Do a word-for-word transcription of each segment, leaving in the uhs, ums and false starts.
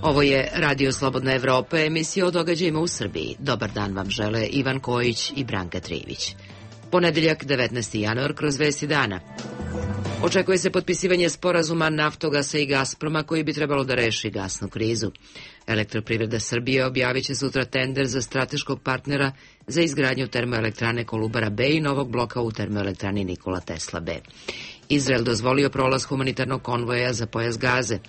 Ovo je Radio Slobodna Evropa, emisija o događajima u Srbiji. Dobar dan vam žele Ivan Kojić i Branka Trivić. Ponedeljak, devetnaesti januar, kroz vesti dana. Očekuje se potpisivanje sporazuma Naftogasa i Gasproma koji bi trebalo da reši gasnu krizu. Elektroprivreda Srbije objavit će sutra tender za strateškog partnera za izgradnju termoelektrane Kolubara B i novog bloka u termoelektrani Nikola Tesla B. Izrael dozvolio prolaz humanitarnog konvoja za pojas Gaze.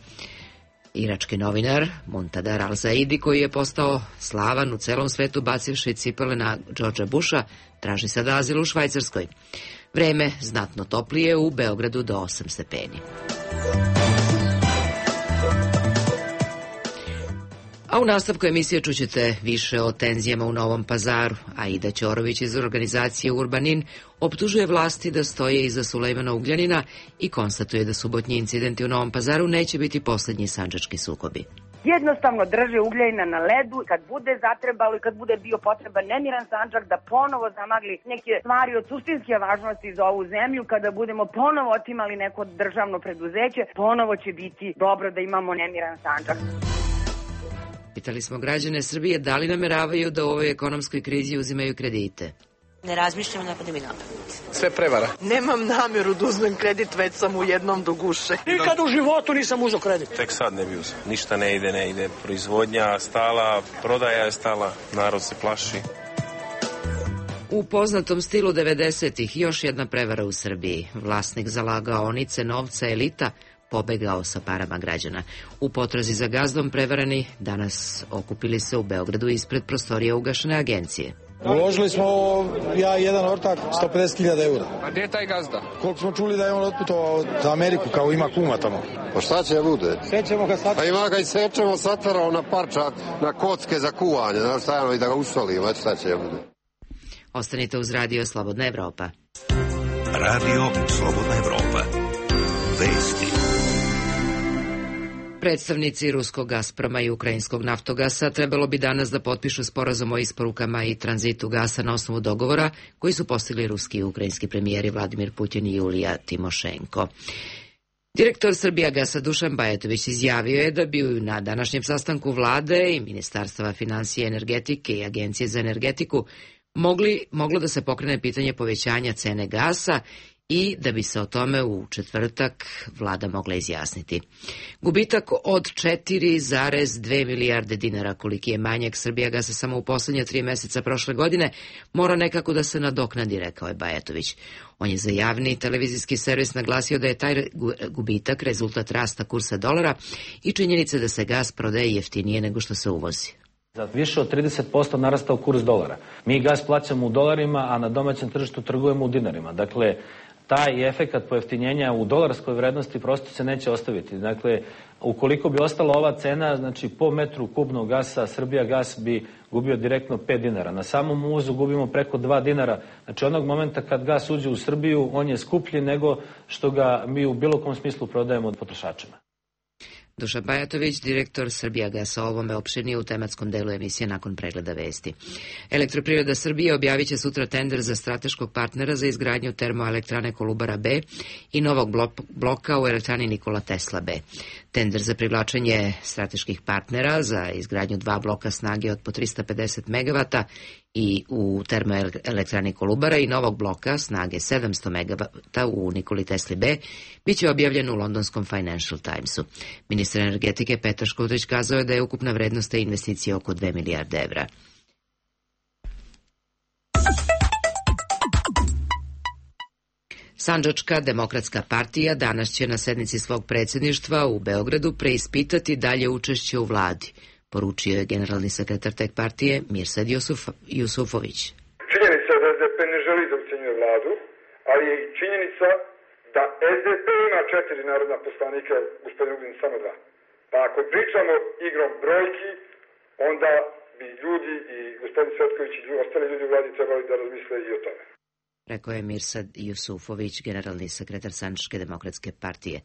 Irački novinar Muntadar al-Zaidi, koji je postao slavan u celom svetu bacivši cipele na Georgea Busha, traži sada azil u Švajcarskoj. Vreme znatno toplije u Beogradu do osam stepeni. A u nastavku emisije čućete više o tenzijama u Novom Pazaru. Aida Ćorović iz organizacije Urbanin optužuje vlasti da stoje iza Sulejmana Ugljanina i konstatuje da subotnji incidenti u Novom Pazaru neće biti poslednji sandžački sukobi. Jednostavno drže Ugljajina na ledu, kad bude zatrebalo i kad bude bio potreban nemiran Sandžak da ponovo zamagli neke stvari od suštinske važnosti za ovu zemlju, kada budemo ponovo otimali neko državno preduzeće, ponovo će biti dobro da imamo nemiran Sandžak. Pitali smo građane Srbije da li nameravaju da u ovoj ekonomskoj krizi uzimaju kredite. Ne razmišljam, ne pada mi napamet. Sve prevara. Nemam nameru da uzmem kredit, već sam u jednom do guše. Nikad u životu nisam uzeo kredit. Tek sad ne bi uzeo. Ništa ne ide, ne ide. Proizvodnja stala, prodaja je stala, narod se plaši. U poznatom stilu devedesetih još jedna prevara u Srbiji. Vlasnik zalagaonice novca Elita pobegao sa parama građana. U potrazi za gazdom prevarani danas okupili se u Beogradu ispred prostorija ugašene agencije. Uložili smo, ja i jedan ortak, sto pedeset hiljada eura. A gdje je taj gazda? Koliko smo čuli da je on otputovao za Ameriku, kao ima kuma tamo. Pa šta će bude? Sećemo ga sad. Pa ima ga i sečemo, satvarao na parčak, na kocke za kuvanje, znaš šta je, i da ga usolimo, šta će bude. Ostanite uz Radio Slobodna Evropa. Radio Slobodna Evropa. Vesti. Predstavnici ruskog Gasproma i ukrajinskog Naftogasa trebalo bi danas da potpišu sporazum o isporukama i tranzitu gasa na osnovu dogovora koji su postigli ruski i ukrajinski premijeri Vladimir Putin i Julija Timošenko. Direktor Srbijagasa Dušan Bajatović izjavio je da bi na današnjem sastanku vlade i Ministarstva finansije, energetike i Agencije za energetiku mogli, moglo da se pokrene pitanje povećanja cene gasa i da bi se o tome u četvrtak vlada mogla izjasniti. Gubitak od četiri zarez dve milijarde dinara, koliki je manjak Srbijagasa samo u poslednje tri meseca prošle godine, mora nekako da se nadoknadi, rekao je Bajatović. On je za javni televizijski servis naglasio da je taj gubitak rezultat rasta kursa dolara i činjenice da se gas prodaje jeftinije nego što se uvozi. Za više od trideset posto narastao kurs dolara. Mi gas plaćamo u dolarima, a na domaćem tržištu trgujemo u dinarima. Dakle, taj efekat pojeftinjenja u dolarskoj vrednosti prosto se neće ostaviti. Dakle, ukoliko bi ostala ova cena, znači po metru kubnog gasa, Srbijagas bi gubio direktno pet dinara. Na samom uvozu gubimo preko dva dinara. Znači, onog momenta kad gas uđe u Srbiju, on je skuplji nego što ga mi u bilo kom smislu prodajemo od potrošačima. Dušan Bajatović, direktor Srbijagasa, o ovome opširnije u tematskom delu emisije nakon pregleda vesti. Elektroprivreda Srbije objavit će sutra tender za strateškog partnera za izgradnju termoelektrane Kolubara B i novog bloka u elektrani Nikola Tesla B. Tender za privlačenje strateških partnera za izgradnju dva bloka snage od po tristo pedeset megavata i u termoelektrani Kolubara i novog bloka snage sedamsto megavata u Nikoli Tesli B biće objavljen u londonskom Financial Timesu. Ministar energetike Petar Škundrić kazao je da je ukupna vrednost te investicije oko dve milijarde evra. Sandžačka demokratska partija danas će na sednici svog predsjedništva u Beogradu preispitati dalje učešće u vladi, poručio je generalni sekretar te partije Mirsad Jusuf, Jusufović. Činjenica je da es de pe ne želi da ucenjuje vladu, ali je i činjenica da es de pe ima četiri narodna poslanika, gospodin Ugljanin samo dva. Pa ako pričamo igrom brojki, onda bi ljudi i gospodin Svetković i ostali ljudi u vladi trebali da razmisle i o tome. Rekao je Mirsad Jusufović, generalni sekretar Sandžačke demokratske partije.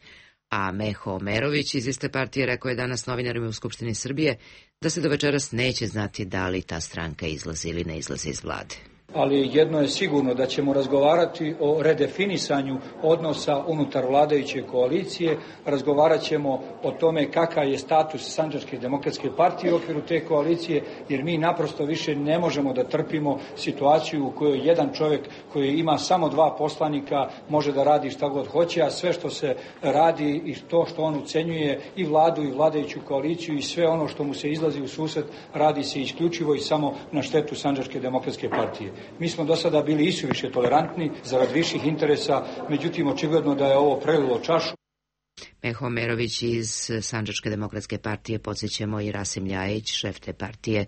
A Meho Omerović iz iste partije rekao je danas novinarima u Skupštini Srbije da se do večeras neće znati da li ta stranka izlazi ili ne izlazi iz vlade. ali jedno je sigurno da ćemo razgovarati o redefinisanju odnosa unutar vladajuće koalicije, razgovarat ćemo o tome kakav je status Sandžačke demokratske partije u okviru te koalicije, jer mi naprosto više ne možemo da trpimo situaciju u kojoj jedan čovjek koji ima samo dva poslanika može da radi šta god hoće, a sve što se radi i to što on ucenjuje i vladu i vladajuću koaliciju i sve ono što mu se izlazi u susret radi se isključivo i samo na štetu Sandžačke demokratske partije. Mi smo do sada bili isuviše tolerantni zarad viših interesa, međutim očigledno da je ovo prelilo čašu. Meho Omerović iz Sandžačke demokratske partije, podsjećamo i Rasim Ljajić, šef te partije,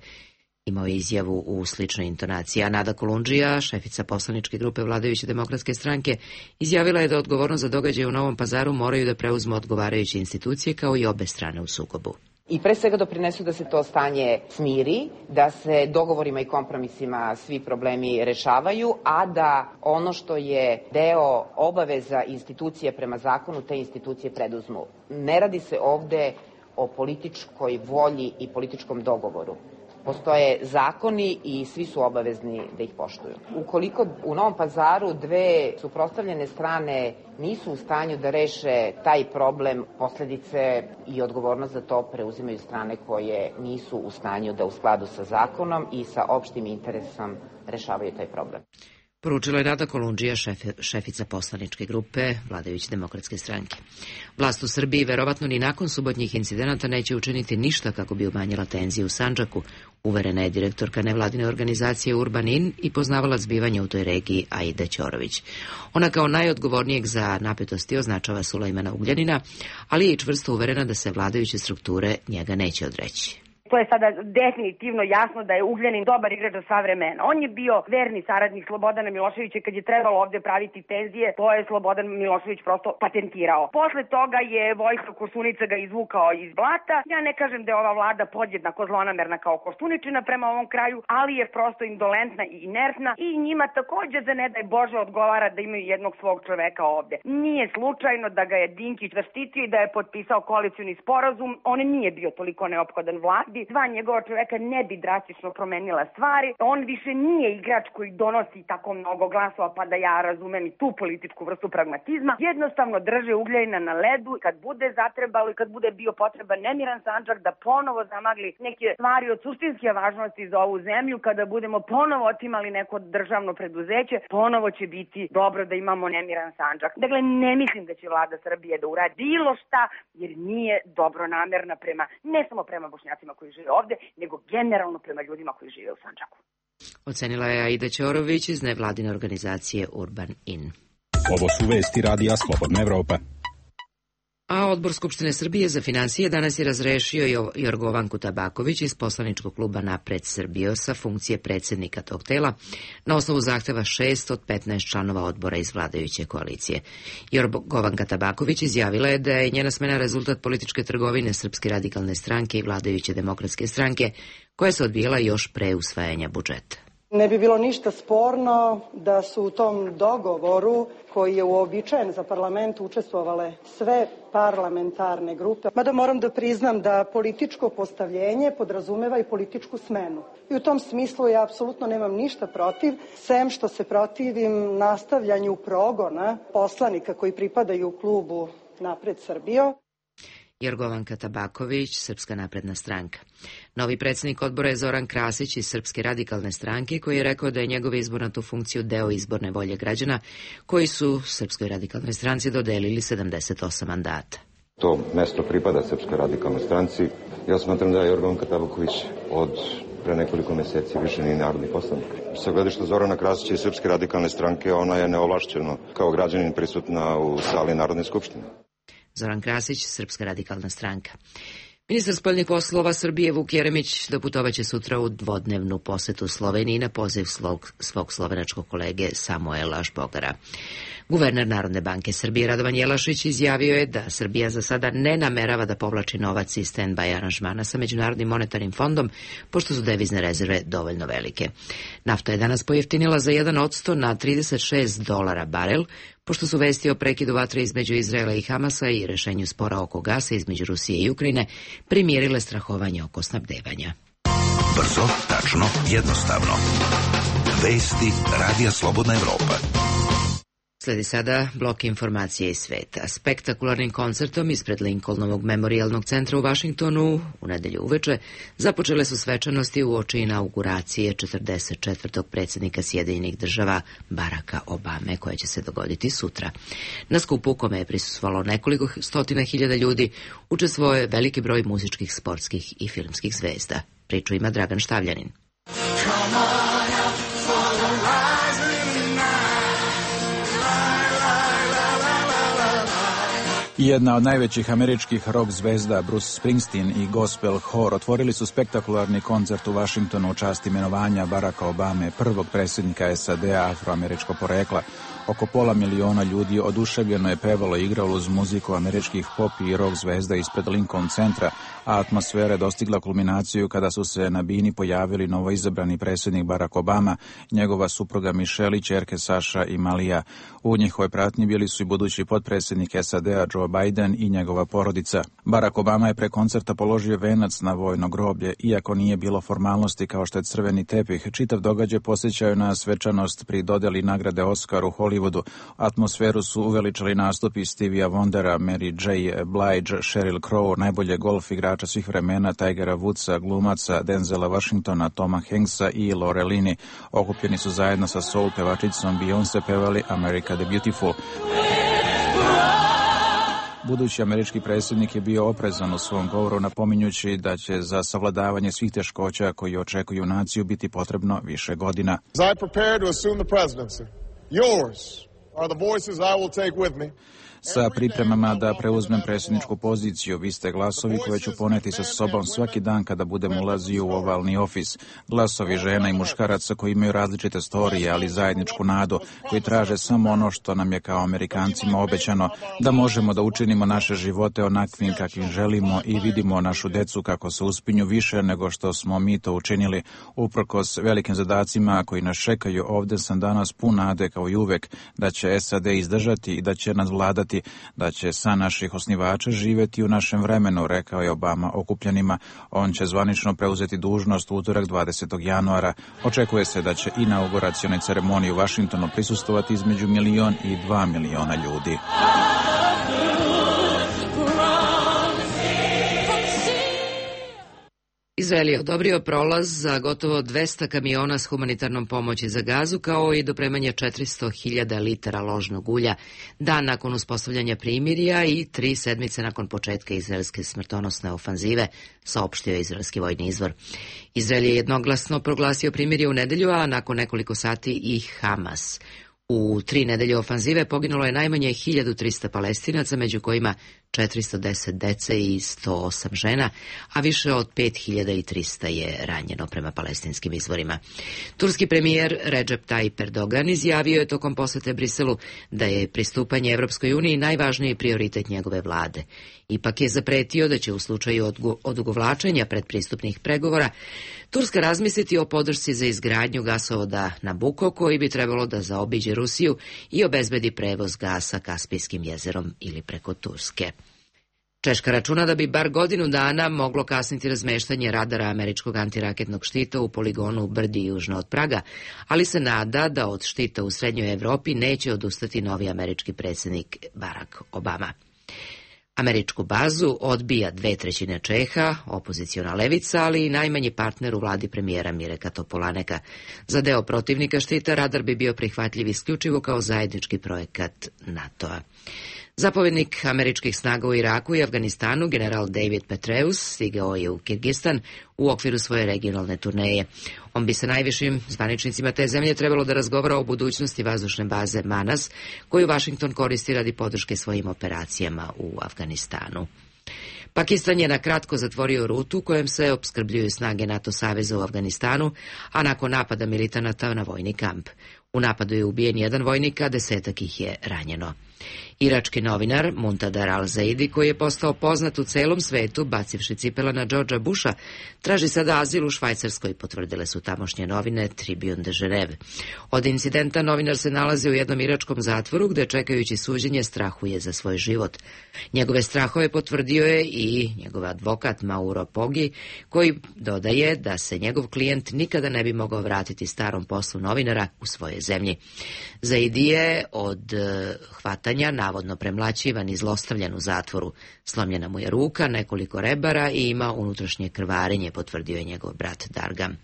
imao je izjavu u sličnoj intonaciji. A Nada Kolundžija, šefica poslaničke grupe vladajuće demokratske stranke, izjavila je da odgovornost za događaje u Novom Pazaru moraju da preuzmu odgovarajuće institucije kao i obe strane u sukobu. I pre svega doprinesu da se to stanje smiri, da se dogovorima i kompromisima svi problemi rešavaju, a da ono što je deo obaveza institucije prema zakonu, te institucije preduzmu. Ne radi se ovde o političkoj volji i političkom dogovoru. Postoje zakoni i svi su obavezni da ih poštuju. Ukoliko u Novom Pazaru dve suprotstavljene strane nisu u stanju da reše taj problem, posledice i odgovornost za to preuzimaju strane koje nisu u stanju da u skladu sa zakonom i sa opštim interesom rešavaju taj problem. Poručila je Nada Kolundžija, šef, šefica poslaničke grupe vladajuće demokratske stranke. Vlast u Srbiji verovatno ni nakon subotnjih incidenata neće učiniti ništa kako bi umanjila tenziju u Sandžaku, uverena je direktorka nevladine organizacije Urban In i poznavala zbivanja u toj regiji Aida Ćorović. Ona kao najodgovornijeg za napetosti označava Sulejmana Ugljanina, ali je i čvrsto uverena da se vladajuće strukture njega neće odreći. To je sada definitivno jasno da je Ugljanin dobar igrač za sva vremena. On je bio verni saradnik Slobodana Miloševića kad je trebalo ovde praviti tenzije, to je Slobodan Milošević prosto patentirao. Posle toga je Vojislav Koštunica ga izvukao iz blata. Ja ne kažem da je ova vlada podjednako zlonamerna kao Koštuničina prema ovom kraju, ali je prosto indolentna i inertna i njima takođe za ne daj Bože odgovara da imaju jednog svog čoveka ovde. Nije slučajno da ga je Dinkić zaštitio i da je potpisao koalicioni sporazum. On nije bio toliko neophodan vladi. Dva njegova čoveka ne bi drastično promenila stvari. On više nije igrač koji donosi tako mnogo glasova, pa da ja razumem i tu političku vrstu pragmatizma. Jednostavno drže Ugljajina na ledu. Kad bude zatrebalo i kad bude bio potreban nemiran Sandžak da ponovo zamagli neke stvari od suštinske važnosti za ovu zemlju, kada budemo ponovo otimali neko državno preduzeće, ponovo će biti dobro da imamo nemiran Sandžak. Dakle, ne mislim da će vlada Srbije da uradi bilo šta, jer nije dobronamerna prema, ne samo prema Bošnjacima koji žive ovde, nego generalno prema ljudima koji žive u Sandžaku. Ocenila je Aida Ćorović iz nevladine organizacije Urban In. Ovo su vesti radija Slobodna Evropa. A Odbor Skupštine Srbije za finansije danas je razrešio Jorgovanku Tabaković iz poslaničkog kluba Napred Srbijo sa funkcije predsednika tog tela na osnovu zahteva šest od petnaest članova odbora iz vladajuće koalicije. Jorgovanka Tabaković izjavila je da je njena smena rezultat političke trgovine Srpske radikalne stranke i vladajuće demokratske stranke, koja se odvijela još pre usvajanja budžeta. Ne bi bilo ništa sporno da su u tom dogovoru, koji je uobičajen za parlament, učestvovale sve parlamentarne grupe. Mada moram da priznam da političko postavljenje podrazumeva i političku smenu. I u tom smislu ja apsolutno nemam ništa protiv, sem što se protivim nastavljanju progona poslanika koji pripadaju klubu Napred Srbijo. Jorgovanka Tabaković, Srpska napredna stranka. Novi predsjednik odbora je Zoran Krasić iz Srpske radikalne stranke, koji je rekao da je njegov izbor na tu funkciju deo izborne volje građana, koji su Srpskoj radikalnoj stranci dodelili sedamdeset osam mandata. To mesto pripada Srpskoj radikalnoj stranci. Ja smatram da je Jorgovanka Tabaković od pre nekoliko meseci više ni narodni poslanik. Sa gledišta Zorana Krasića i Srpske radikalne stranke, ona je neovlašćeno kao građanin prisutna u sali Narodne skupštine. Zoran Krasić, Srpska radikalna stranka. Ministar spoljnih poslova Srbije Vuk Jeremić doputovaće sutra u dvodnevnu posetu Sloveniji na poziv svog, svog slovenačkog kolege Samuela Žbogara. Guverner Narodne banke Srbije Radovan Jelašić izjavio je da Srbija za sada ne namerava da povlači novac iz stand-by aranžmana sa Međunarodnim monetarnim fondom, pošto su devizne rezerve dovoljno velike. Nafta je danas pojeftinila za jedan odsto na trideset šest dolara barel, pošto su vesti o prekidu vatre između Izraela i Hamasa i rešenju spora oko gasa između Rusije i Ukrajine primijerile strahovanje oko snabdevanja. Brzo, tačno, jednostavno. Vesti Radija Slobodna Evropa. Sledi sada blok informacije iz sveta. Spektakularnim koncertom ispred Lincolnovog memorijalnog centra u Vašingtonu u nedelju uveče započele su svečanosti uoči inauguracije četrdeset četvrtog predsjednika Sjedinjenih država Baracka Obame, koja će se dogoditi sutra. Na skupu u kome je prisustvovalo nekoliko stotina hiljada ljudi, učestvovao je veliki broj muzičkih, sportskih i filmskih zvezda. Priču ima Dragan Štavljanin. Jedna od najvećih američkih rock zvezda, Bruce Springsteen i gospel hor, otvorili su spektakularni koncert u Vašingtonu u čast imenovanja Baracka Obame, prvog predsjednika S A D-a afroameričkog porekla. Oko pola miliona ljudi oduševljeno je pevalo i igralo uz muziku američkih pop i rock zvezda ispred Lincoln centra, a atmosfera je dostigla kulminaciju kada su se na bini pojavili novoizabrani predsjednik Barack Obama, njegova supruga Michelle i ćerke Saša i Malija. U njihovoj pratnji bili su i budući potpredsjednik S A D-a Joe Biden i njegova porodica. Barack Obama je pre koncerta položio venac na vojno groblje, iako nije bilo formalnosti kao što je crveni tepih. Čitav događaj posjećaju na svečanost pri dodeli nagrade Oscar u Hollywoodu. Atmosferu su uveličali nastupi Stevia Wondera, Mary J. Blige, Sheryl Crow, najbolje golf igrača svih vremena, Tigera Woodsa, glumaca Denzela Washingtona, Toma Hanksa i Lorelini. Okupljeni su zajedno sa soul pevačicom Beyoncé pevali America the Beautiful. Budući američki predsjednik je bio oprezan u svom govoru, napominjući da će za savladavanje svih teškoća koji očekuju naciju biti potrebno više godina. As I prepare to assume the presidency, yours are the voices I will take with me. Sa pripremama da preuzmem predsjedničku poziciju, vi ste glasovi koje ću poneti sa sobom svaki dan kada budem ulazio u ovalni ofis. Glasovi žena i muškaraca koji imaju različite storije, ali zajedničku nadu, koji traže samo ono što nam je kao Amerikancima obećano, da možemo da učinimo naše živote onakvim kakvim želimo i vidimo našu decu kako se uspinju više nego što smo mi to učinili. Uprkos velikim zadacima koji nas čekaju, ovde sam danas pun nade kao i uvek da će S A D izdržati i da će nas vladati, da će san naših osnivača živeti u našem vremenu, rekao je Obama okupljenima. On će zvanično preuzeti dužnost u utorak dvadesetog januara. Očekuje se da će inauguracione ceremonije u Vašingtonu prisustvovati između milion i dva miliona ljudi. Izrael je odobrio prolaz za gotovo dvesta kamiona s humanitarnom pomoći za Gazu, kao i dopremanje četiristo hiljada litara ložnog ulja, dan nakon uspostavljanja primirja i tri sedmice nakon početka izraelske smrtonosne ofanzive, saopštio je izraelski vojni izvor. Izrael je jednoglasno proglasio primirje u nedelju, a nakon nekoliko sati i Hamas. U tri nedelje ofanzive poginulo je najmanje hiljadu trista Palestinaca, među kojima četiristo deset dece i sto osam žena, a više od pet hiljada trista je ranjeno prema palestinskim izvorima. Turski premijer Recep Tayyip Erdogan izjavio je tokom posete Briselu da je pristupanje Evropskoj uniji najvažniji prioritet njegove vlade. Ipak je zapretio da će u slučaju odugovlačenja predpristupnih pregovora Turska razmisliti o podršci za izgradnju gasovoda Nabucco, koji bi trebalo da zaobiđe Rusiju i obezbedi prevoz gasa Kaspijskim jezerom ili preko Turske. Češka računa da bi bar godinu dana moglo kasniti razmeštanje radara američkog antiraketnog štita u poligonu u Brdi južno od Praga, ali se nada da od štita u srednjoj Evropi neće odustati novi američki predsjednik Barack Obama. Američku bazu odbija dve trećine Čeha, opoziciona levica, ali i najmanji partner u vladi premijera Mireka Topolaneka. Za deo protivnika štita radar bi bio prihvatljiv isključivo kao zajednički projekat NATO-a. Zapovjednik američkih snaga u Iraku i Afganistanu, general David Petraeus, stigao je u Kirgistan u okviru svoje regionalne turneje. On bi sa najvišim zvaničnicima te zemlje trebalo da razgovara o budućnosti vazdušne baze Manas, koju Washington koristi radi podrške svojim operacijama u Afganistanu. Pakistan je na kratko zatvorio rutu kojom se opskrbljuju snage NATO saveza u Afganistanu, a nakon napada militanata na vojni kamp. U napadu je ubijen jedan vojnik, a desetak ih je ranjeno. Irački novinar Muntadar al-Zaidi, koji je postao poznat u celom svetu bacivši cipela na Georgea Busha, traži sada azil u Švajcarskoj, potvrdile su tamošnje novine Tribune de Geneve. Od incidenta novinar se nalazi u jednom iračkom zatvoru gde čekajući suđenje strahuje za svoj život. Njegove strahove potvrdio je i njegov advokat Mauro Poggi, koji dodaje da se njegov klijent nikada ne bi mogao vratiti starom poslu novinara u svoje zemlji. Zaidi je od hvatanja navodno premlaćivan i zlostavljan u zatvoru. Slomljena mu je ruka, nekoliko rebara i ima unutrašnje krvarenje, potvrdio je njegov brat Dargam.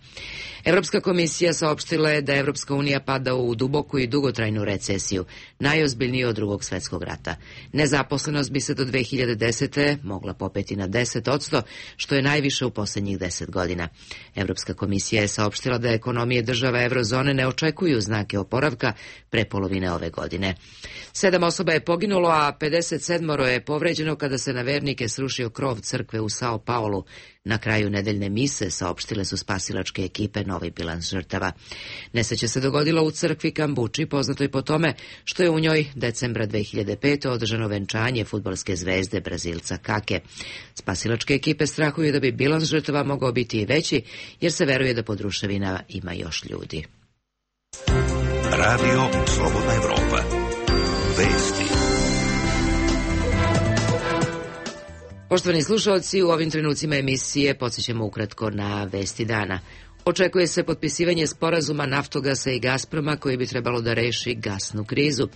Evropska komisija saopštila je da Evropska unija pada u duboku i dugotrajnu recesiju, najozbiljniju od drugog svetskog rata. Nezaposlenost bi se do dve hiljade desete. mogla popeti na deset posto, što je najviše u poslednjih deset godina. Evropska komisija je saopštila da ekonomije država eurozone ne očekuju znake oporavka pre polovine ove godine. Sedam osoba je poginulo, a pedeset sedam je povređeno kada se na vernike srušio krov crkve u Sao Paulu. Na kraju nedeljne mise saopštile su spasilačke ekipe novi bilans žrtava. Nesreća se dogodila u crkvi Kambuči, poznatoj po tome što je u njoj decembra dve hiljade pete. održano venčanje fudbalske zvezde Brazilca Kake. Spasilačke ekipe strahuju da bi bilans žrtava mogao biti i veći, jer se veruje da pod ruševinama ima još ljudi. Radio Slobodna Evropa. Vesti. Poštovani slušalci, u ovim trenucima emisije podsjećamo ukratko na vesti dana. Očekuje se potpisivanje sporazuma Naftogasa i Gazproma koji bi trebalo da reši gasnu krizu.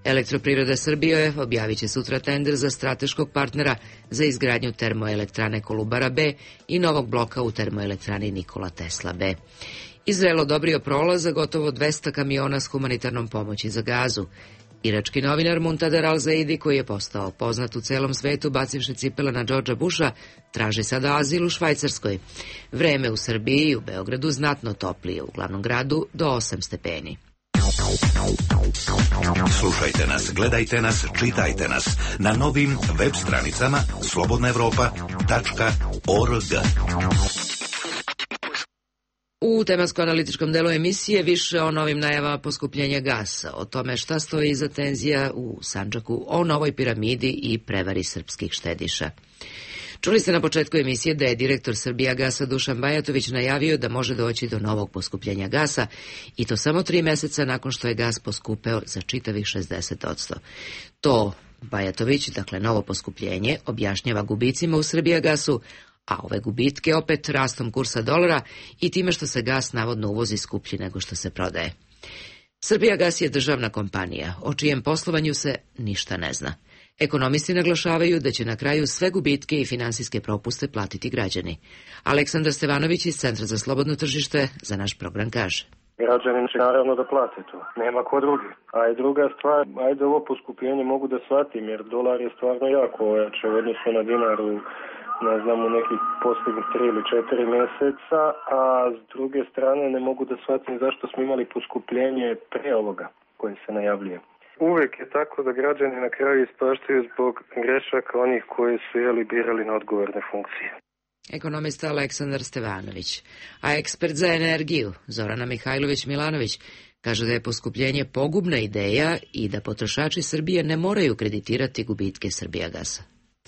Elektroprivreda Srbije objavit će sutra tender za strateškog partnera za izgradnju termoelektrane Kolubara B i novog bloka u termoelektrani Nikola Tesla B. Izrael odobrio prolaz za gotovo dvesta kamiona s humanitarnom pomoći za Gazu. Irački novinar Muntadar al-Zaidi, koji je postao poznat u celom svetu bacivši cipela na Georgea Busha, traži sada azil u Švajcarskoj. Vreme u Srbiji i u Beogradu znatno toplije, u glavnom gradu do osam stepeni. Slušajte nas, gledajte nas, čitajte nas na novim web stranicama slobodna evropa tačka org. U tematsko-analitičkom delu emisije više o novim najavama poskupljenja gasa, o tome šta stoji iza tenzija u Sandžaku, o novoj piramidi i prevari srpskih štediša. Čuli ste na početku emisije da je direktor Srbijagasa Dušan Bajatović najavio da može doći do novog poskupljenja gasa i to samo tri meseca nakon što je gas poskupeo za čitavih šezdeset posto. To Bajatović, dakle novo poskupljenje, objašnjava gubicima u Srbijagasu, a ove gubitke opet rastom kursa dolara i time što se gas navodno uvozi skuplji nego što se prodaje. Srbijagas je državna kompanija, o čijem poslovanju se ništa ne zna. Ekonomisti naglašavaju da će na kraju sve gubitke i finansijske propuste platiti građani. Aleksandar Stevanović iz Centra za slobodno tržište za naš program kaže. Građani će naravno da plate to, nema ko drugi. A i druga stvar, ajde ovo poskupljenje mogu da shvatim, jer dolar je stvarno jako ojače u odnosu na dinar u, ne znam, u nekih posljednjih tri ili četiri meseca, a s druge strane ne mogu da shvatim zašto smo imali poskupljenje pre ovoga koje se najavljuje. Uvek je tako da građani na kraju ispaštaju zbog grešaka onih koji su jeli birali na odgovorne funkcije. Ekonomista Aleksandar Stevanović, a ekspert za energiju Zorana Mihajlović-Milanović kaže da je poskupljenje pogubna ideja i da potrošači Srbije ne moraju kreditirati gubitke Srbijagasa.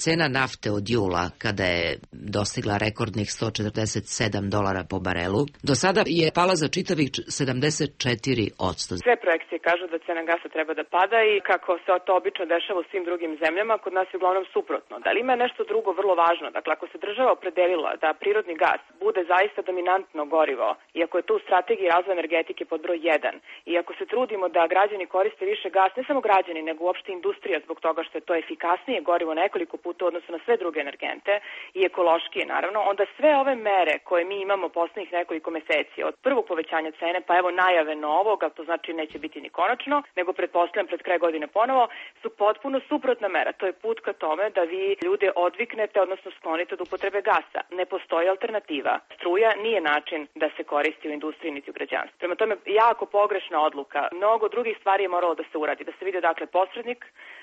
Cena nafte od jula, kada je dostigla rekordnih sto četrdeset sedam dolara po barelu, do sada je pala za čitavih sedamdeset četiri posto. Sve projekcije kažu da cena gasa treba da pada i kako se to obično dešava u svim drugim zemljama, kod nas je uglavnom suprotno. Da li ima nešto drugo vrlo važno? Dakle, ako se država opredelila da prirodni gas bude zaista dominantno gorivo, i ako je to u strategiji razvoja energetike pod broj jedan, i ako se trudimo da građani koriste više gas, ne samo građani, nego uopšte industrija zbog toga što je to efikasnije gorivo nekoliko puta u odnosu na sve druge energente i ekološkije naravno, onda sve ove mere koje mi imamo poslednjih nekoliko meseci, od prvog povećanja cene pa evo najave novog, a to znači neće biti ni konačno, nego pretpostavljam pred kraj godine ponovo, su potpuno suprotna mera. To je put ka tome da vi ljude odviknete, odnosno sklonite od upotrebe gasa. Ne postoji alternativa. Struja nije način da se koristi u industriji niti u građanstvu. Prema tome, jako pogrešna odluka. Mnogo drugih stvari je moralo da se uradi. Da se vidi dakle posrednik,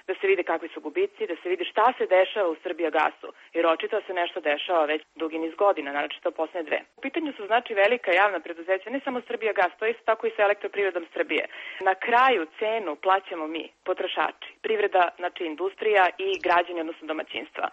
da se vide kakvi su gubici, da se vidi šta se dešava u Srbijagasu, jer očito se nešto dešava već dugi niz godina, naročito poslednje dve. U pitanju su znači velika javna preduzeća, ne samo Srbijagas, to je isto tako i sa Elektroprivredom Srbije. Na kraju cenu plaćamo mi, potrošači, privreda, znači industrija i građani, odnosno domaćinstva.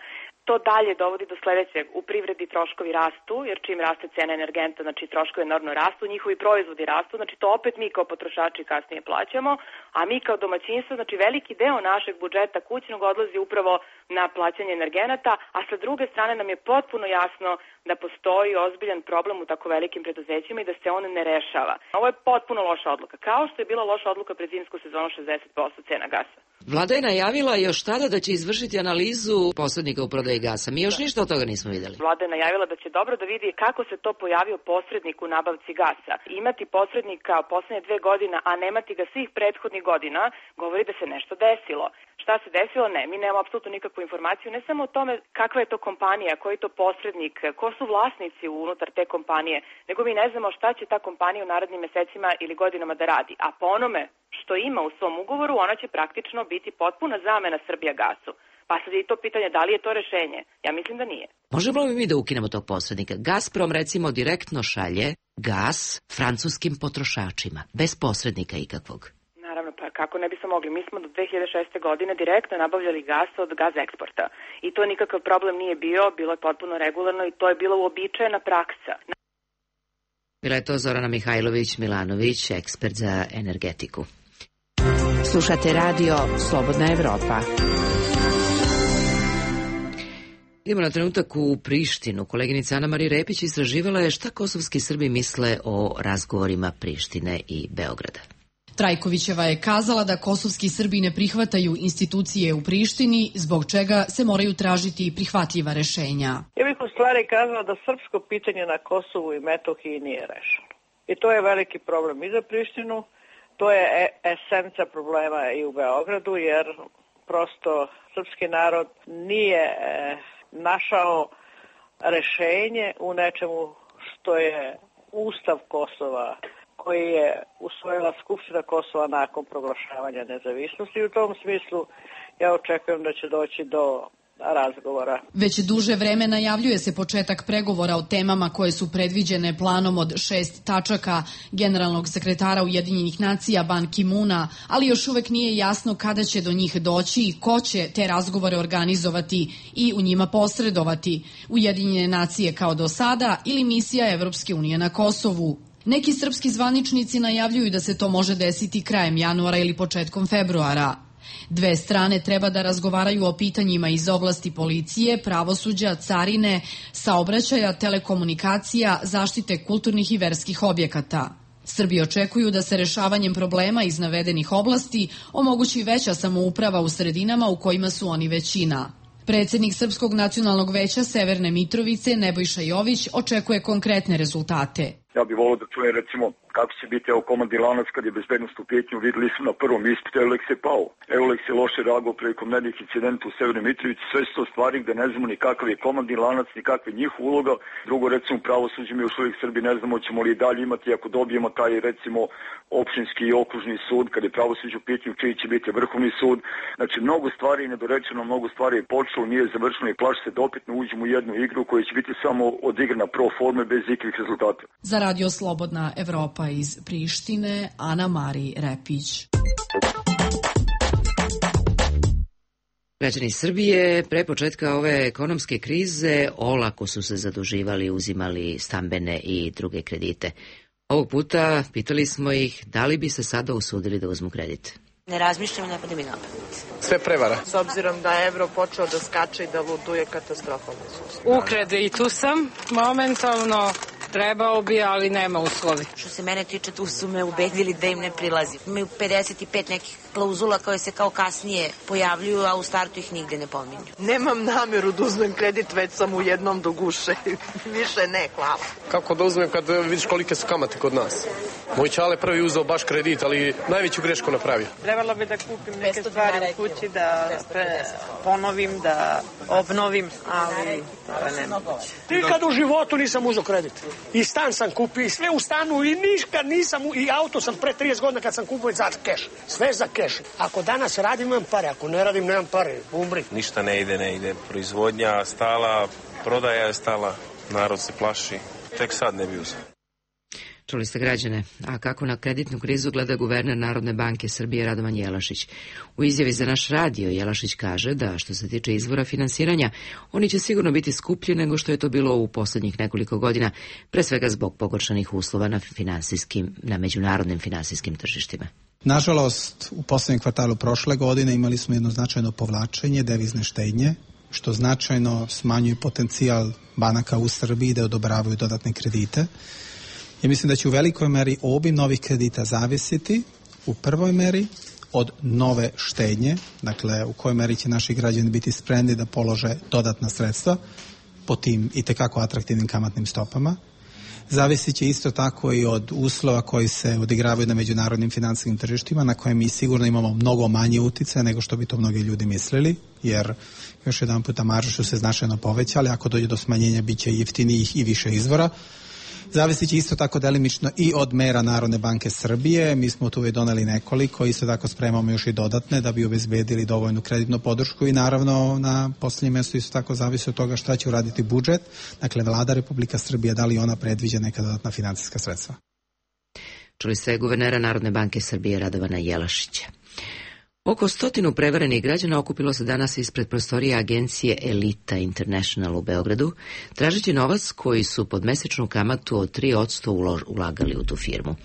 To dalje dovodi do sledećeg. U privredi troškovi rastu, jer čim raste cena energenta, znači troškovi enormno rastu, njihovi proizvodi rastu, znači to opet mi kao potrošači kasnije plaćamo, a mi kao domaćinstvo, znači veliki deo našeg budžeta kućnog odlazi upravo na plaćanje energenata, a sa druge strane nam je potpuno jasno da postoji ozbiljan problem u tako velikim preduzećima i da se on ne rešava. Ovo je potpuno loša odluka, kao što je bila loša odluka pred zimsku sezonu šezdeset posto cena gasa. Vlada je najavila još tada da će izvršiti analizu posrednika u prodaji gasa. Mi još ništa od toga nismo videli. Vlada je najavila da će dobro da vidi kako se to pojavio posrednik u nabavci gasa. Imati posrednika poslednje dve godine, a nemati ga svih prethodnih godina, govori da se nešto desilo. Šta se desilo? Ne, mi nemamo apsolutno nikakvu informaciju, ne samo o tome kakva je to kompanija, koji je to posrednik, ko su vlasnici unutar te kompanije, nego mi ne znamo šta će ta kompanija u narednim mesecima ili godinama da radi. A po onome što ima u svom ugovoru, ona će praktično biti potpuna zamena Srbijagasu. Pa sad je to pitanje da li je to rešenje. Ja mislim da nije. Možemo li mi da ukinemo tog posrednika? Gazprom recimo direktno šalje gas francuskim potrošačima, bez posrednika ikakvog. Naravno, pa kako ne bismo mogli? Mi smo do dve hiljade šeste. godine direktno nabavljali gas od Gaz Eksporta. I to nikakav problem nije bio, bilo je potpuno regularno i to je bila uobičajena praksa. Bila je to Zorana Mihajlović-Milanović, ekspert za energetiku. Slušate radio Slobodna Evropa. Idemo na trenutak u Prištinu. Koleginica Ana Marija Repić istraživala je šta kosovski Srbi misle o razgovorima Prištine i Beograda. Trajkovićeva je kazala da kosovski Srbi ne prihvataju institucije u Prištini, zbog čega se moraju tražiti prihvatljiva rešenja. Ja bih u stvari kazala da srpsko pitanje na Kosovu i Metohiji nije rešeno. I to je veliki problem i za Prištinu, to je esenca problema i u Beogradu, jer prosto srpski narod nije našao rešenje u nečemu što je Ustav Kosova, koji je usvojila Skupština Kosova nakon proglašavanja nezavisnosti. U tom smislu ja očekujem da će doći do razgovora. Već duže vreme najavljuje se početak pregovora o temama koje su predviđene planom od šest tačaka generalnog sekretara Ujedinjenih nacija Ban Ki-muna, ali još uvek nije jasno kada će do njih doći i ko će te razgovore organizovati i u njima posredovati. Ujedinjene nacije kao do sada ili misija Evropske unije na Kosovu. Neki srpski zvaničnici najavljuju da se to može desiti krajem januara ili početkom februara. Dve strane treba da razgovaraju o pitanjima iz oblasti policije, pravosuđa, carine, saobraćaja, telekomunikacija, zaštite kulturnih i verskih objekata. Srbi očekuju da se rešavanjem problema iz navedenih oblasti omogući veća samouprava u sredinama u kojima su oni većina. Predsednik Srpskog nacionalnog veća Severne Mitrovice, Nebojša Jović, očekuje konkretne rezultate. Ja bih volio da čujem recimo kako će biti evo komandni lanac kad je bezbednost u pitanju. Videli smo na prvom ispitu, Euleks je pao. Euleks je loše reagovao prilikom nednih incidenta u Severnoj Mitrovici. Sve su to stvari gde ne znamo ni kakav je komandni lanac, ni kakva je njihova uloga. Drugo, recimo pravosuđe, mi još uvijek Srbi ne znamo ćemo li i dalje imati ako dobijemo taj recimo opštinski i okružni sud, kad je pravosuđe u pitanju čiji će biti vrhovni sud. Znači mnogo stvari je nedorečeno, mnogo stvari je počelo, nije završeno i plaši se da opet ne uđemo u jednu igru koja će biti samo odigrana pro forme bez ikakvih rezultata. Za Radio Slobodna Evropa iz Prištine, Ana Marija Repić. Građani Srbije pre početka ove ekonomske krize olako su se zaduživali, uzimali stambene i druge kredite. Ovog puta pitali smo ih da li bi se sada usudili da uzmu kredit. Ne razmišljam, ne pada mi na pamet. Sve prevara. S obzirom da je evro počeo da skače i da luduje katastrofalno. U kreditu sam momentalno. Trebao bi, ali nema uslovi. Što se mene tiče, tu su me ubedili da im ne prilazi. Imaju pedeset i pet nekih klauzula koje se kao kasnije pojavljuju, a u startu ih nigde ne pominju. Nemam nameru da uzmem kredit, već sam u jednom do guše. Više ne, hvala. Kako da uzmem kad vidiš kolike su kamate kod nas? Moj čale prvi uzeo baš kredit, ali najveću grešku napravio. Trebalo bi da kupim neke stvari u kući, da pre, ponovim, da obnovim, ali to je nemoguće. Nikad u životu nisam uzeo kredit. I stan sam kupio, i sve u stanu, i nikad nisam, i auto sam pre trideset godina kad sam kupio za keš. Sve za keš. Ako danas radim, imam pare, ako ne radim, nemam pare. Umri. Ništa ne ide, ne ide. Proizvodnja stala, prodaja je stala, narod se plaši. Tek sad ne bi uzeo. Čuli ste građane, a kako na kreditnu krizu gleda guverner Narodne banke Srbije Radovan Jelašić. U izjavi za naš radio Jelašić kaže da što se tiče izvora finansiranja, oni će sigurno biti skuplji nego što je to bilo u poslednjih nekoliko godina, pre svega zbog pogoršanih uslova na finansijskim, na međunarodnim finansijskim tržištima. Nažalost, u poslednjem kvartalu prošle godine imali smo jedno značajno povlačenje devizne štednje, što značajno smanjuje potencijal banaka u Srbiji da odobravaju dodatne kredite. Ja mislim da će u velikoj meri obim novih kredita zavisiti u prvoj meri od nove štednje, dakle u kojoj meri će naši građani biti spremni da polože dodatna sredstva po tim itekako atraktivnim kamatnim stopama. Zavisit će isto tako i od uslova koji se odigravaju na međunarodnim finansijskim tržištima, na koje mi sigurno imamo mnogo manje uticaja nego što bi to mnogi ljudi mislili, jer još jedan puta marže su se značajno povećali, ako dođe do smanjenja bit će jeftinijih i više izvora. Zavisit će isto tako delimično i od mera Narodne banke Srbije. Mi smo tu već doneli nekoliko, isto tako spremamo još i dodatne da bi obezbedili dovoljnu kreditnu podršku i naravno na poslednjem mjestu isto tako zavisi od toga šta će uraditi budžet. Dakle, Vlada Republika Srbije, da li ona predviđa neka dodatna finansijska sredstva. Čuli ste guvernera Narodne banke Srbije Radovana Jelašića. Oko stotinu prevarenih građana okupilo se danas ispred prostorije agencije Elita International u Beogradu, tražeći novac koji su pod mesečnu kamatu od tri posto ulagali u tu firmu.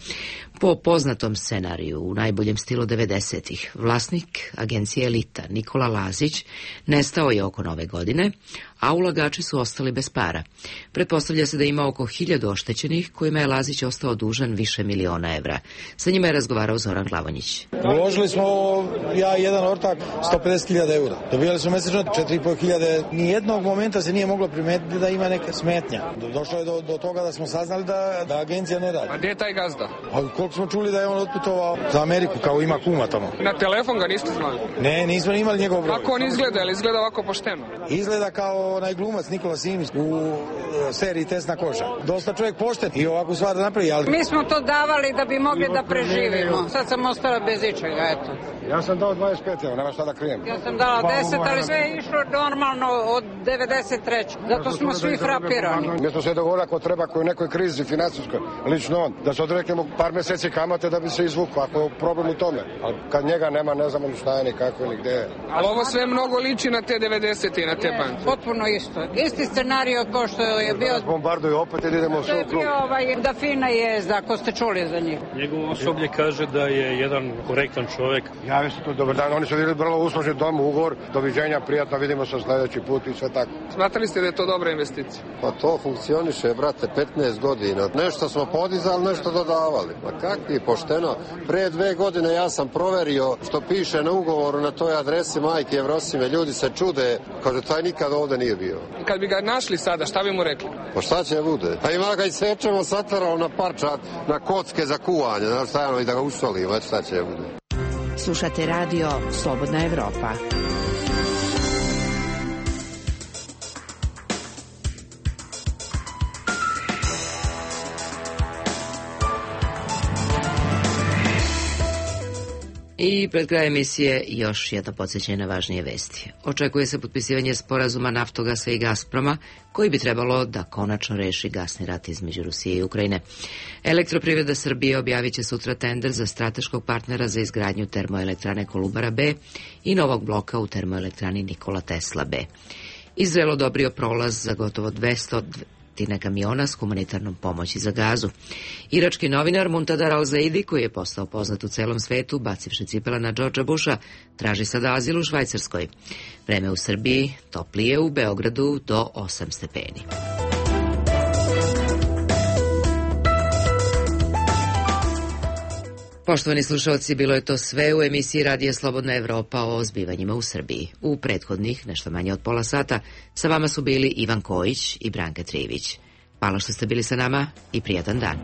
Po poznatom scenariju, u najboljem stilu devedesetih, vlasnik agencije Elita, Nikola Lazić, nestao je oko nove godine, a ulagači su ostali bez para. Pretpostavlja se da ima oko hiljadu oštećenih, kojima je Lazić ostao dužan više miliona evra. Sa njima je razgovarao Zoran Glavonjić. Uložili smo, ja i jedan ortak, sto pedeset hiljada eura. Dobijali smo mesečno četiri i po hiljade. Nijednog momenta se nije moglo primetiti da ima neka smetnja. Došlo je do, do toga da smo saznali da, da agencija ne radi. A gdje je taj gazda? A koliko smo čuli da je on otputovao za Ameriku, kao ima kuma tamo. Na telefon ga niste znali? Ne, nismo imali njegov broj. Kako on izgleda? Ili izgleda ovako pošteno? Izgleda kao onaj glumac Nikola Simić u seriji Tesna koža. Dosta čovjek pošten i ovakvu stvar da napravi, ali... Mi smo to davali da bi mogli da preživimo. Sad sam ostala bez ičega, eto. Ja sam dao dvadeset pet, evo, nema šta da krijem. Ja sam dala deset, ali sve je išlo normalno od devedeset treće. Zato smo svi frapirani. Mi smo se dogovorili ako treba koji u nekoj krizi finansijskoj, lično on, da se odreknemo par meseci kamate da bi se izvukao, ako je problem u tome. Ali kad njega nema, ne znamo ni šta je, ni kako, ni gde je. Ali ovo sve mnogo liči na te devedesete i na te banke. Potpuno isto. Isti scenario kao što je bio... Bombarduju opet i idemo u svoj krug. To je bio ovaj Dafina Jezda, ako ste čuli za njih. Njegov osoblje kaže da je jedan korektan čovjek. Javi se tu, dobar dan, oni su bili vrlo uslužni dom, ugovor, doviđenja, prijatno, vidimo se sljedeći put i sve tako. Smatrali ste da je to dobra investicija? Pa to funkcioniše, brate, petnaest godina. Nešto smo podizali, nešto dodavali. Pa kakvi, pošteno. Pre dve godine ja sam proverio što piše na ugovoru na toj adresi Majke Evrosime. Ljudi se čude, kaže, taj nikad ovde nije bio. Kad bi ga našli sada, šta bi mu rekli? Pa šta će bude? Pa ima ga i sečemo satarao na parčat, na kocke za kuvanje, znaš šta je, i da ga usolimo, eto šta će bude. Slušate radio Slobodna Evropa. I pred kraj emisije još jedno podsjećanje na važnije vesti. Očekuje se potpisivanje sporazuma Naftogasa i Gazproma, koji bi trebalo da konačno reši gasni rat između Rusije i Ukrajine. Elektroprivreda Srbije objavit će sutra tender za strateškog partnera za izgradnju termoelektrane Kolubara B i novog bloka u termoelektrani Nikola Tesla B. Izrael odobrio prolaz za gotovo dvesta kamiona s humanitarnom pomoći za Gazu. Irački novinar Muntadar al-Zaidi, koji je postao poznat u celom svetu, bacivši cipela na Georgea Busha, traži sada azil u Švajcarskoj. Vreme u Srbiji toplije, u Beogradu do osam stepeni. Poštovani slušalci, bilo je to sve u emisiji Radija Slobodna Evropa o zbivanjima u Srbiji. U prethodnih, nešto manje od pola sata, sa vama su bili Ivan Kojić i Branka Trivić. Hvala što ste bili sa nama i prijatan dan.